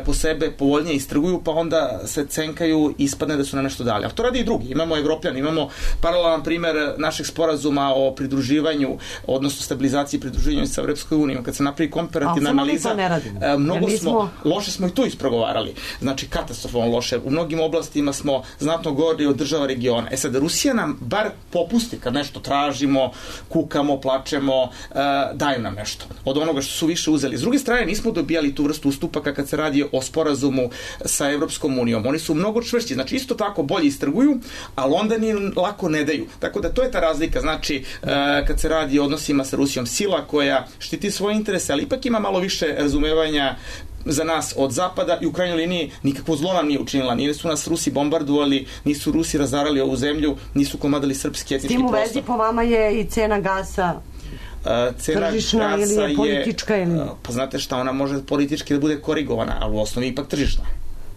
po sebe povoljnije istrguju, pa onda se cenkaju i ispadne da su nam nešto dali. Ali to radi i drugi. Imamo Evropljani, imamo paralelan primer našeg sporazuma o pridruživanju, odnosno stabilizaciji pridruživanju sa Evropskoj uniji. Kad se napravi komparativna analiza, loše smo i tu ispregovarali. Znači, katastrofalno loše. U mnogim oblastima smo znatno gori od država regiona. Sad, Rusija nam bar popusti kad nešto tražimo, kukamo, plačemo, daju nam nešto. Od onoga što su više uzeli. S druge strane, nismo dobijali tu vrstu ustupaka kad se radi o sporazumu sa Evropskom unijom. Oni su mnogo čvršći. Znači, isto tako bolje istrguju, ali onda ni lako ne daju. Tako da to je ta razlika. Znači, kad se radi o odnosima sa Rusijom, sila koja štiti svoje interese, ali ipak ima malo više razumevanja za nas od zapada i u krajnjoj liniji nikakvo zlo nam nije učinila. Nisu nas Rusi bombardovali, nisu Rusi razarali ovu zemlju, nisu komadali srpski etnički prostor. S tim u vezi po vama je i cena gasa tržišna ili je politička? Pa znate šta, ona može politički da bude korigovana, ali u osnovi ipak tržišna.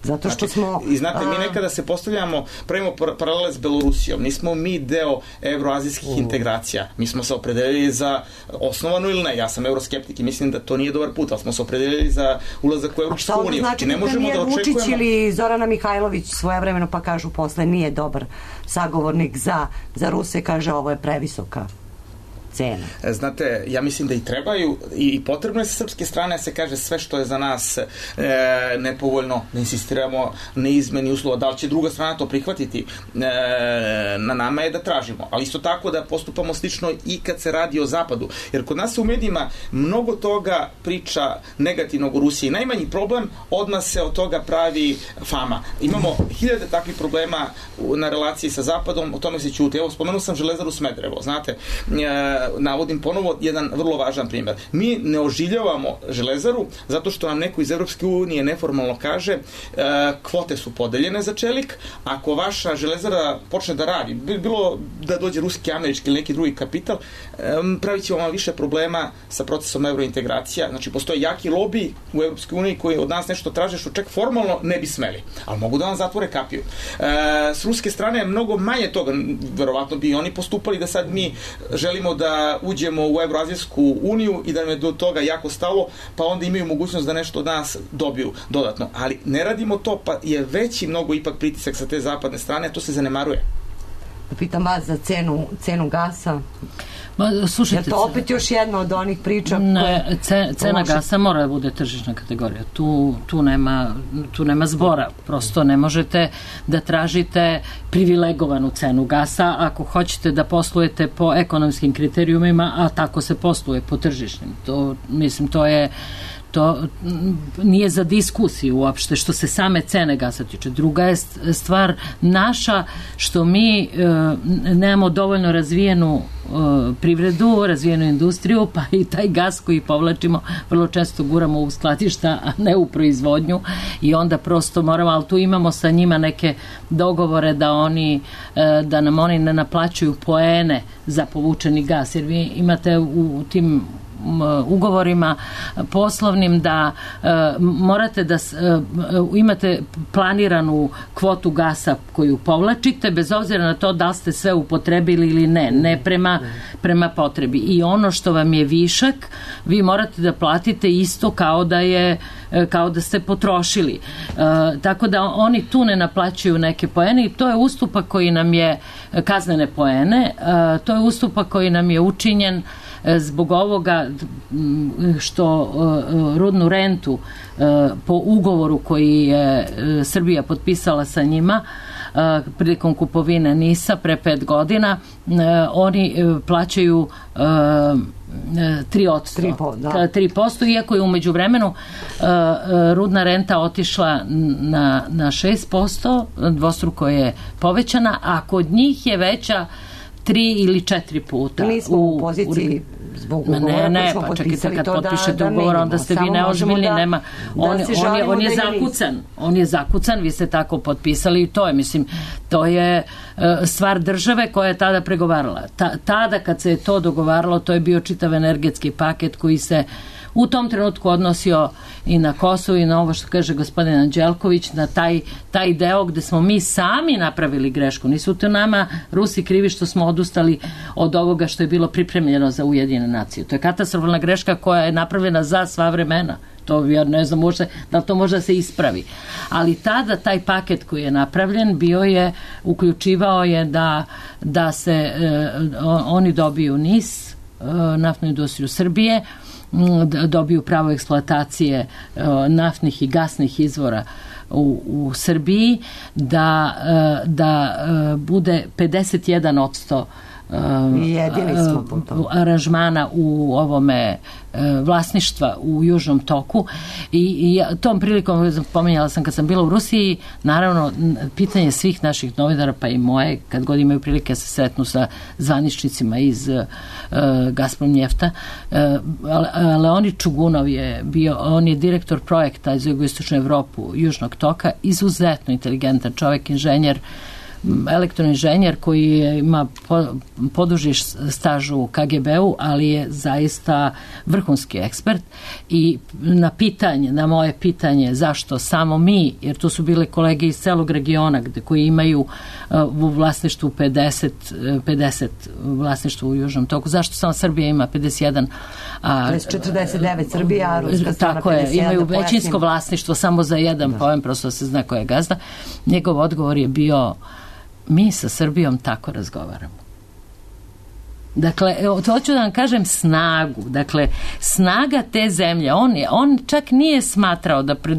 Zato što smo... I znate, mi nekada se postavljamo, pravimo paralele s Belorusijom. Nismo mi deo evroazijskih integracija. Mi smo se opredelili za osnovanu ili ne. Ja sam euroskeptik i mislim da to nije dobar put, ali smo se opredelili za ulazak u Evropsku uniju. A šta znači da premijer Vučić ili Zorana Mihajlović svojevremeno pa kažu posle nije dobar sagovornik za Ruse, kaže ovo je previsoka cena. Znate, ja mislim da i trebaju i potrebno je sa srpske strane se kaže sve što je za nas nepovoljno, ne insistiramo na izmeni uslova, da li će druga strana to prihvatiti, na nama je da tražimo, ali isto tako da postupamo slično i kad se radi o zapadu, jer kod nas u medijima mnogo toga priča negativnog u Rusiji. Najmanji problem, odmah se od toga pravi fama. Imamo hiljade takvih problema na relaciji sa zapadom, o tome se ćuti. Evo, spomenuo sam Železaru Smederevo, znate, navodim ponovo jedan vrlo važan primjer. Mi ne oživljavamo Železaru zato što nam neko iz Evropske unije neformalno kaže kvote su podeljene za čelik, ako vaša Železara počne da radi, bilo da dođe ruski, američki ili neki drugi kapital, pravit će vam više problema sa procesom eurointegracija. Znači, postoje jaki lobi u Evropskoj uniji koji od nas nešto traže što čak formalno ne bi smeli, ali mogu da vam zatvore kapiju. S ruske strane je mnogo manje toga, verovatno bi oni postupali da sad mi želimo da uđemo u Evroazijsku uniju i da nam je do toga jako stalo, pa onda imaju mogućnost da nešto od nas dobiju dodatno. Ali ne radimo to, pa je veći mnogo ipak pritisak sa te zapadne strane, to se zanemaruje. Pitam vas za cenu gasa. Slušajte, jer to opet još jedna od onih priča cena gasa mora da bude tržišna kategorija, tu nema zbora, prosto ne možete da tražite privilegovanu cenu gasa ako hoćete da poslujete po ekonomskim kriterijumima, a tako se posluje po tržišnim. To nije za diskusiju uopšte što se same cene gasa tiče. Druga je stvar naša što mi nemamo dovoljno razvijenu privredu, razvijenu industriju, pa i taj gas koji povlačimo vrlo često guramo u skladišta, a ne u proizvodnju i onda prosto moramo, ali tu imamo sa njima neke dogovore da nam oni ne naplaćuju poene za povučeni gas, jer vi imate u tim ugovorima poslovnim da morate da imate planiranu kvotu gasa koju povlačite, bez obzira na to da li ste sve upotrebili ili ne prema potrebi. I ono što vam je višak, vi morate da platite isto kao da ste potrošili. Tako da oni tu ne naplaćuju neke poene i to je ustupak koji nam je, kaznene poene, to je ustupak koji nam je učinjen zbog ovoga što rudnu rentu po ugovoru koji je Srbija potpisala sa njima prilikom kupovine NIS-a pre 5 godina, oni plaćaju 3%, iako je umeđu vremenu rudna renta otišla na 6%, dvostruko je povećana, a kod njih je veća 3 ili 4 puta. Nismo u poziciji zbog ugovora ne, pa čekajte, kad potpišete ugovor, onda ste vi neozbiljni, nema, on je zakucan, on je zakucan, vi ste tako potpisali i to je, mislim, to je stvar države koja je tada pregovarala. Tada kad se je to dogovaralo, to je bio čitav energetski paket koji se u tom trenutku odnosio i na Kosovo i na ovo što kaže gospodin Anđelković, na taj deo gde smo mi sami napravili grešku. Nisu to nama Rusi krivi što smo odustali od ovoga što je bilo pripremljeno za Ujedinjene nacije. To je katastrofalna greška koja je napravljena za sva vremena. To ja ne znam da li to može da se ispravi. Ali tada taj paket koji je napravljen uključivao je da se oni dobiju NIS, naftnu industriju Srbije, dobiju pravo eksploatacije naftnih i gasnih izvora u Srbiji, da bude 51% aranžmana u ovome vlasništva u Južnom toku i tom prilikom pominjala sam kad sam bila u Rusiji, naravno pitanje svih naših novinara pa i moje, kad god imaju prilike se sretnu sa zvaničnicima iz Gazprom Njefta. Leonid Čugunov je bio, on je direktor projekta za jugoistočnu Evropu Južnog toka, izuzetno inteligentan čovjek, inženjer, elektroinženjer koji ima poduži staž u KGB-u, ali je zaista vrhunski ekspert i na moje pitanje zašto samo mi, jer tu su bile kolege iz celog regiona koji imaju u vlasništvu 50 vlasništvo u Južnom toku, zašto samo Srbija ima 51, to je 49 Srbija, a Ruska strana 51. Tako je, imaju većinsko vlasništvo samo za jedan pojem, prosto se zna ko je gazda. Njegov odgovor je bio: mi sa Srbijom tako razgovaramo. Dakle, hoću da vam kažem snagu. Dakle, snaga te zemlje. On čak nije smatrao da pred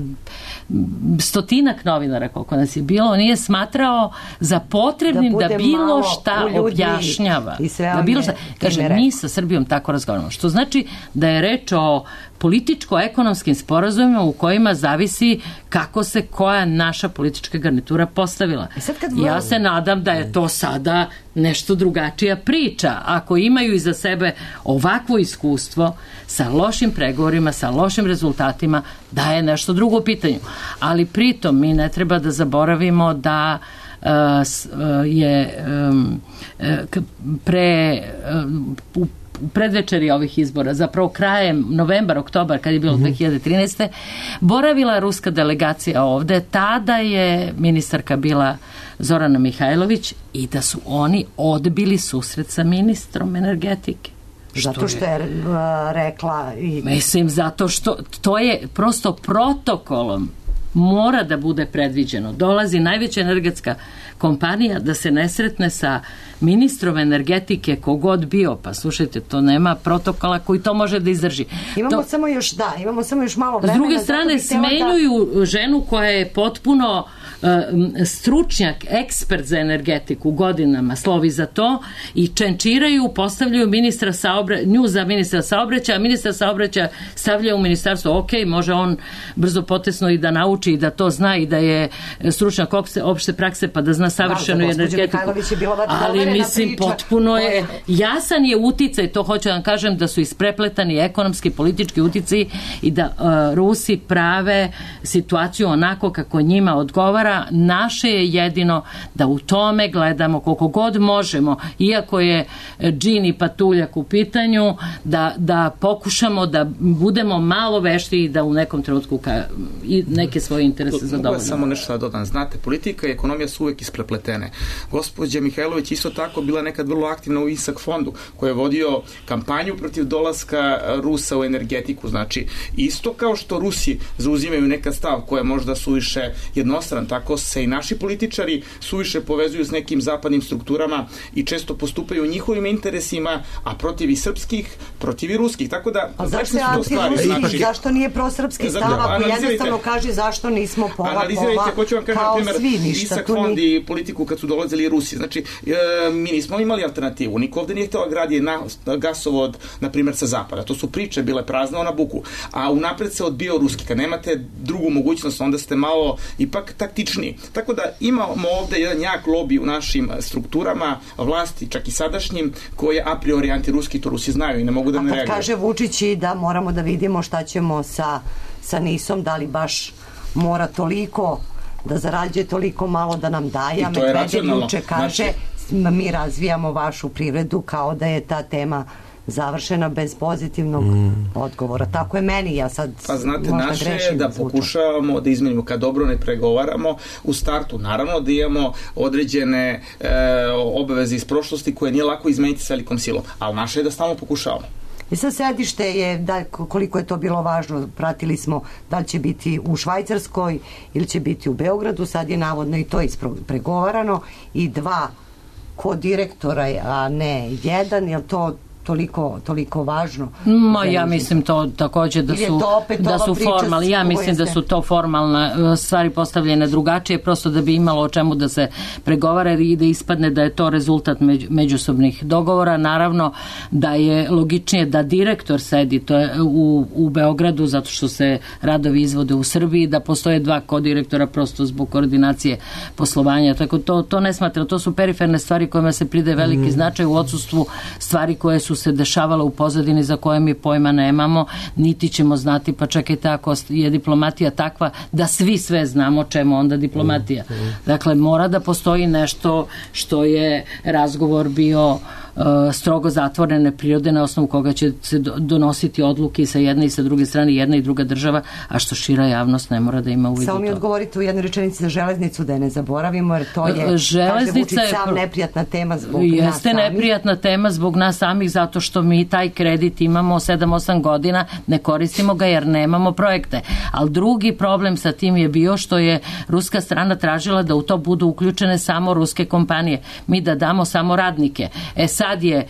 100-ak novinara, koliko nas je bilo, nije smatrao za potrebnim da bilo šta objašnjava. Da bilo šta. Kaže, mi sa Srbijom tako razgovaramo. Što znači da je reč o političko-ekonomskim sporazumima u kojima zavisi kako se koja naša politička garnitura postavila. Ja se nadam da je to sada nešto drugačija priča. Ako imaju iza sebe ovakvo iskustvo sa lošim pregovorima, sa lošim rezultatima, da je nešto drugo u pitanju. Ali pritom mi ne treba da zaboravimo da je u predvečeri ovih izbora, zapravo krajem novembar, oktobar, kad je bilo 2013. boravila ruska delegacija ovde, tada je ministarka bila Zorana Mihajlović i da su oni odbili susret sa ministrom energetike. Zato što je rekla Mislim, zato što to je prosto protokolom mora da bude predviđeno. Dolazi najveća energetska kompanija da se ne sretne sa ministrom energetike kogod bio, pa slušajte, to nema protokola koji to može da izdrži. Imamo samo još malo vremena. S druge strane, smenjuju ženu koja je potpuno stručnjak, ekspert za energetiku, godinama slovi za to i čenčiraju, postavljaju nju za ministra saobraćaja, a ministra saobraćaja stavlja u ministarstvo, ok, može on brzo potesno i da nauči i da to zna i da je stručnjak opšte prakse pa da zna savršenu energetiku. Ali mislim, potpuno je jasan je uticaj, to hoću da vam kažem, da su isprepletani ekonomski, politički uticaj i da Rusi prave situaciju onako kako njima odgovara. Naše je jedino da u tome gledamo koliko god možemo, iako je džin i patuljak u pitanju, da pokušamo da budemo malo vešti i da u nekom trenutku i neke svoje interese zadovoljimo. Mogu samo nešto da dodam. Znate, politika i ekonomija su uvek isprepletene. Gospođa Mihajlović isto tako bila nekad vrlo aktivna u ISAK fondu, koji je vodio kampanju protiv dolaska Rusa u energetiku. Znači, isto kao što Rusi zauzimaju neka stav koja je možda suviše jednostran, tako se i naši političari suviše povezuju s nekim zapadnim strukturama i često postupaju u njihovim interesima, a protiv i srpskih, protiv i ruskih. Tako da, zašto nije prosrpski stav, ako jednostavno kaže zašto zašto nismo analizirajte, hoću vam kažem, kao primjer, svi ništa. Isak fond i politiku kad su dolazili Rusi. Znači, mi nismo imali alternativu. Niko ovde nije hteo gradi gasovod, na primjer, sa zapada. To su priče bile prazne na buku. A unapred se odbio ruski. Kad nemate drugu mogućnost, onda ste malo ipak taktičniji. Tako da imamo ovde jedan jak lobby u našim strukturama vlasti, čak i sadašnjim, koji je a priori antiruski, to Rusi znaju i ne mogu da ne reaguju. A kad kaže Vučić i da moramo da vidimo šta ćemo sa NIS-om, da li baš mora toliko da zarađuje toliko malo da nam daje, a Medvedev juče kaže mi razvijamo vašu privredu kao da je ta tema završena bez pozitivnog odgovora. Tako je meni, ja sad pa znate, naše je da pokušavamo da izmenimo, kad dobro ne pregovaramo u startu, naravno da imamo određene obaveze iz prošlosti koje nije lako izmeniti s velikom silom, ali naše je da stalno pokušavamo. I sad sedište je, koliko je to bilo važno, pratili smo da li će biti u Švajcarskoj ili će biti u Beogradu, sad je navodno i to ispregovarano i 2 kodirektora, a ne 1, je to toliko važno? Ja mislim to takođe da su formalni. Ja mislim da su to formalne stvari postavljene drugačije, prosto da bi imalo o čemu da se pregovara i da ispadne da je to rezultat međusobnih dogovora. Naravno da je logičnije da direktor sedi u Beogradu, zato što se radovi izvode u Srbiji, da postoje 2 kodirektora prosto zbog koordinacije poslovanja. Tako to ne smatra. To su periferne stvari kojima se pridaje veliki značaj u odsustvu stvari koje su se dešavala u pozadini za koje mi pojma nemamo, niti ćemo znati, pa čak i tako je diplomatija takva da svi sve znamo čemu onda diplomatija. Dakle, mora da postoji nešto što je razgovor bio strogo zatvorene prirode na osnovu koga će se donositi odluke sa jedne i sa druge strane, jedna i druga država, a što šira javnost ne mora da ima uvid u to. Samo mi odgovorite u jednoj rečenici za železnicu, da je ne zaboravimo, jer to je, kaže Vučić, sam neprijatna tema zbog nas samih. Jeste neprijatna tema zbog nas samih, zato što mi taj kredit imamo 7-8 godina, ne koristimo ga jer nemamo projekte. Ali drugi problem sa tim je bio što je ruska strana tražila da u to budu uključene samo ruske kompanije. Mi da damo samo radnike. Sad je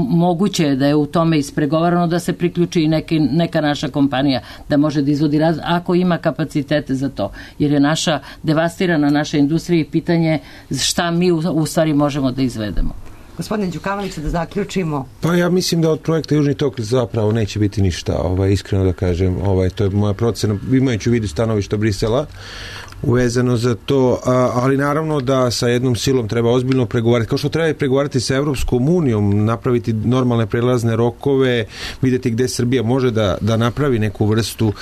moguće da je u tome ispregovarano da se priključi i neka naša kompanija da može da izvodi ako ima kapacitete za to. Jer je naša devastirana naša industrija i pitanje šta mi u stvari možemo da izvedemo. Gospodine Đukanoviću, da zaključimo. Pa ja mislim da od projekta Južni tok zapravo neće biti ništa, iskreno da kažem, to je moja procena, imajući u vidu stanovišta Brisela uvezano za to, ali naravno da sa jednom silom treba ozbiljno pregovarati, kao što treba i pregovarati sa Evropskom unijom, napraviti normalne prelazne rokove, vidjeti gde Srbija može da napravi neku vrstu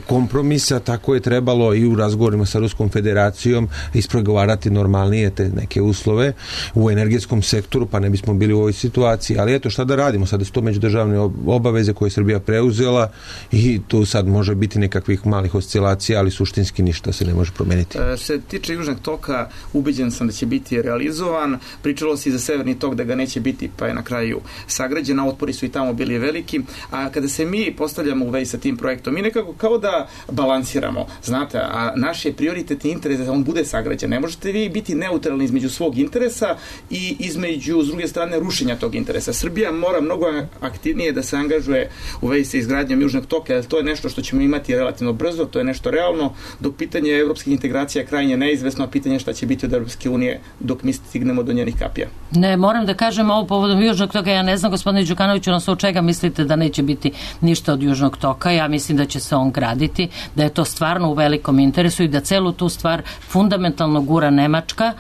kompromisa, tako je trebalo i u razgovorima sa Ruskom federacijom ispregovarati normalnije te neke uslove u energetskom sektoru, pa ne bismo bili u ovoj situaciji, ali eto šta da radimo, sada su to međudržavne obaveze koje je Srbija preuzela i tu sad može biti nekakvih malih oscilacija, ali suštinski ništa se ne može promeniti. Se tiče Južnog toka, ubeđen sam da će biti realizovan. Pričalo se i za Severni tok da ga neće biti, pa je na kraju sagrađen, a otpori su i tamo bili veliki. A kada se mi postavljamo u vezi sa tim projektom, mi nekako kao da balansiramo, znate, a naš je prioritetni interes da on bude sagrađen. Ne možete vi biti neutralni između svog interesa i između, s druge strane, rušenja tog interesa. Srbija mora mnogo aktivnije da se angažuje u vezi sa izgradnjom Južnog toka, jer to je nešto što ćemo imati relativno brzo, to je nešto realno, dok pitanje evropskih integracija je krajnje neizvesno, a pitanje šta će biti od Evropske unije dok mi stignemo do njenih kapija. Ne, moram da kažem ovo povodom Južnog toka, ja ne znam, gospodine Đukanoviću, na osnovu čega mislite da neće biti ništa od Južnog toka, ja mislim da će se on graditi, da je to stvarno u velikom interesu i da celu tu stvar fundamentalno gura Nemačka,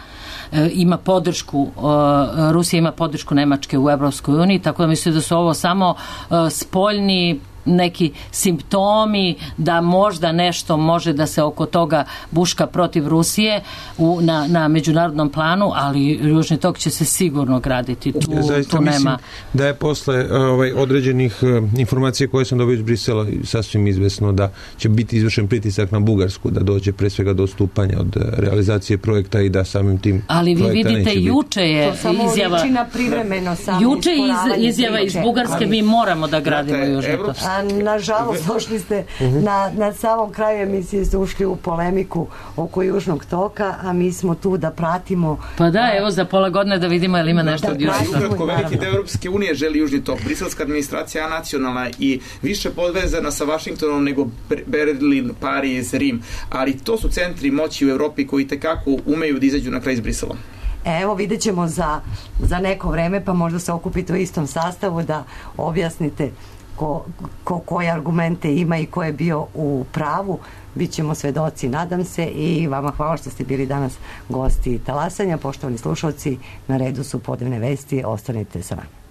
ima podršku, Rusija ima podršku Nemačke u Evropskoj uniji, tako da mislim da su ovo samo spoljni neki simptomi da možda nešto može da se oko toga buška protiv Rusije na međunarodnom planu, ali Južni tok će se sigurno graditi. Tu nema. Da je posle određenih informacija koje sam dobio iz Brisela sasvim izvesno da će biti izvršen pritisak na Bugarsku, da dođe pre svega do odstupanja od realizacije projekta i da samim tim ali vi vidite, juče je izjava privremeno juče izjava iz Bugarske, mi moramo da gradimo Južni tok. nažalost došli ste na samom kraju emisije, ste ušli u polemiku oko Južnog toka, a mi smo tu da pratimo. Pa da, evo za pola godine da vidimo je li ima nešto od Južnog toka. Ukratko, veliki deo Europske unije želi Južni tok. Briselska administracija nacionalna i više podvezana sa Vašingtonom nego Berlin, Pariz, Rim, ali to su centri moći u Evropi koji tekako umeju da izađu na kraj s Briselom. Evo, vidjet ćemo za neko vreme, pa možda se okupite u istom sastavu da objasnite koje argumente ima i ko je bio u pravu. Bićemo svedoci, nadam se, i vama hvala što ste bili danas gosti Talasanja. Poštovani slušalci, na redu su podnevne vesti, ostanite sa nama.